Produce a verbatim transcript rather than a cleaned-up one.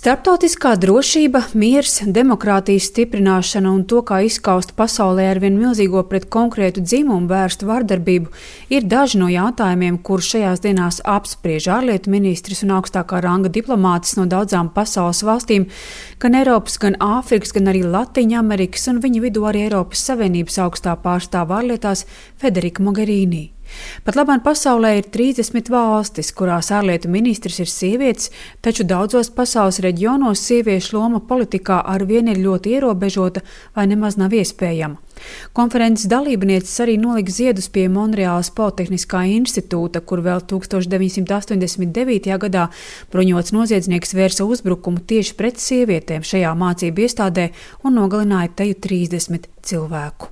Starptautiskā drošība, miers, demokrātijas stiprināšana un to, kā izskaust pasaulē ar vien milzīgo pret konkrētu dzimumu vērstu vardarbību, ir daži no jautājumiem, kurus šajās dienās apspriež ārlietu ministrs un augstākā ranga diplomātis no daudzām pasaules valstīm, gan Eiropas, gan Āfrikas, gan arī Latviņamerikas un viņu vidū arī Eiropas Savienības augstā pārstāve ārlietās Federika Mogherini. Pat labāk pasaulē ir trīsdesmit valstis, kurās ārlietu ministrs ir sievietes, taču daudzos pasaules reģionos sieviešu loma politikā arvien ir ļoti ierobežota vai nemaz nav iespējama. Konferences dalībnieces arī nolika ziedus pie Monreālas Politehniskā institūta, kur vēl tukstovš deviņsimt astoņdesmit devītajā gadā bruņots noziedznieks vērsa uzbrukumu tieši pret sievietēm šajā mācību iestādē un nogalināja teju trīsdesmit cilvēku.